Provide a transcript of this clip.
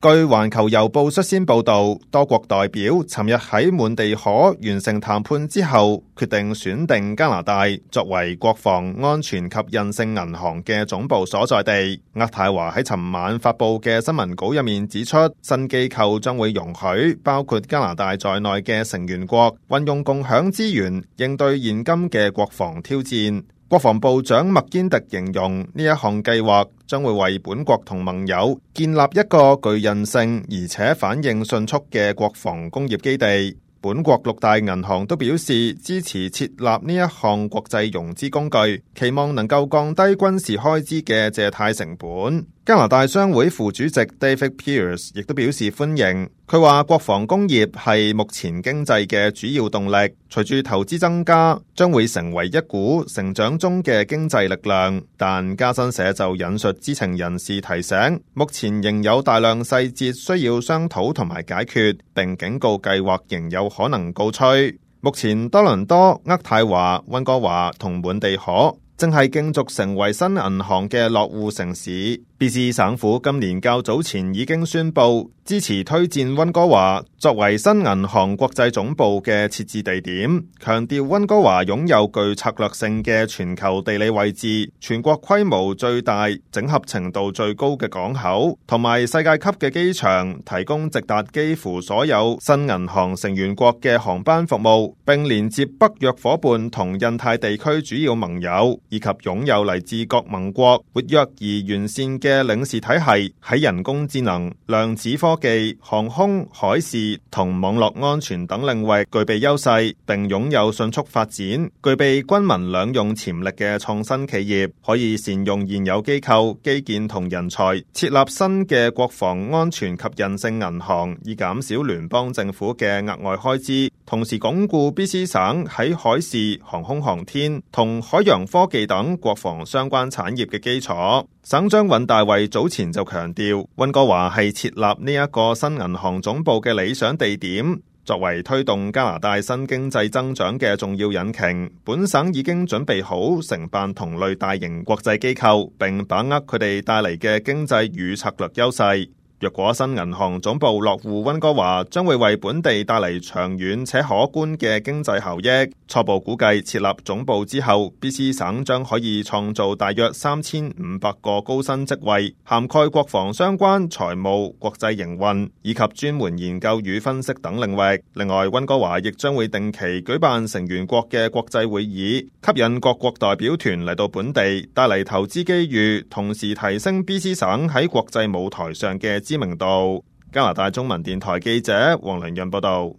據環球郵報率先報道，多國代表尋日喺滿地可完成談判之後，決定選定加拿大作為國防安全及韌性銀行嘅總部所在地。渥太華喺尋晚發佈嘅新聞稿入面指出，新機構將會容許包括加拿大在內嘅成員國運用共享資源，應對現今嘅國防挑戰。國防部長麥堅特形容呢一項計劃將會為本國同盟友建立一個具韌性而且反應迅速嘅國防工業基地。本國六大銀行都表示支持設立呢一項國際融資工具，期望能夠降低軍事開支嘅借貸成本。加拿大商會副主席 David Pearce 亦都表示歡迎。佢話國防工業係目前經濟嘅主要動力，隨住投資增加，將會成為一股成長中嘅經濟力量。但加新社就引述知情人士提醒，目前仍有大量細節需要商討同埋解決，並警告計劃仍有可能告吹。目前多倫多、渥太華、溫哥華同滿地可正係競逐成為新銀行嘅落戶城市。BC 省府今年較早前已經宣布支持推薦溫哥華作為新銀行國際總部嘅設置地點，強調溫哥華擁有具策略性嘅全球地理位置、全國規模最大、整合程度最高嘅港口，同埋世界級嘅機場，提供直達幾乎所有新銀行成員國嘅航班服務，並連接北約夥伴同印太地區主要盟友，以及擁有嚟自各盟國活躍而完善嘅領事體系，喺人工智能、量子科技、航空、海事同網絡安全等領域具備優勢，並擁有迅速發展、具備軍民兩用潛力嘅創新企業，可以善用現有機構、基建同人才，設立新嘅國防安全及韌性銀行，以減少聯邦政府嘅額外開支，同時鞏固 BC 省喺海事、航空航天同海洋科技等國防相關產業嘅基礎。省長尹大衛早前就強調，溫哥華係設立呢一個新銀行總部嘅理想地點，作為推動加拿大新經濟增長嘅重要引擎。本省已經準備好承辦同類大型國際機構，並把握佢哋帶嚟嘅經濟與策略優勢。若果新銀行總部落戶溫哥華，將會為本地帶嚟長遠且可觀嘅經濟效益。初步估計設立總部之後，BC 省將可以創造大約3500個高薪職位，涵蓋國防相關、財務、國際營運以及專門研究與分析等領域。另外，溫哥華亦將會定期舉辦成員國嘅國際會議，吸引各國代表團嚟到本地，帶嚟投資機遇，同時提升 BC 省喺國際舞台上嘅知名度。加拿大中文電台記者黃良潤報道。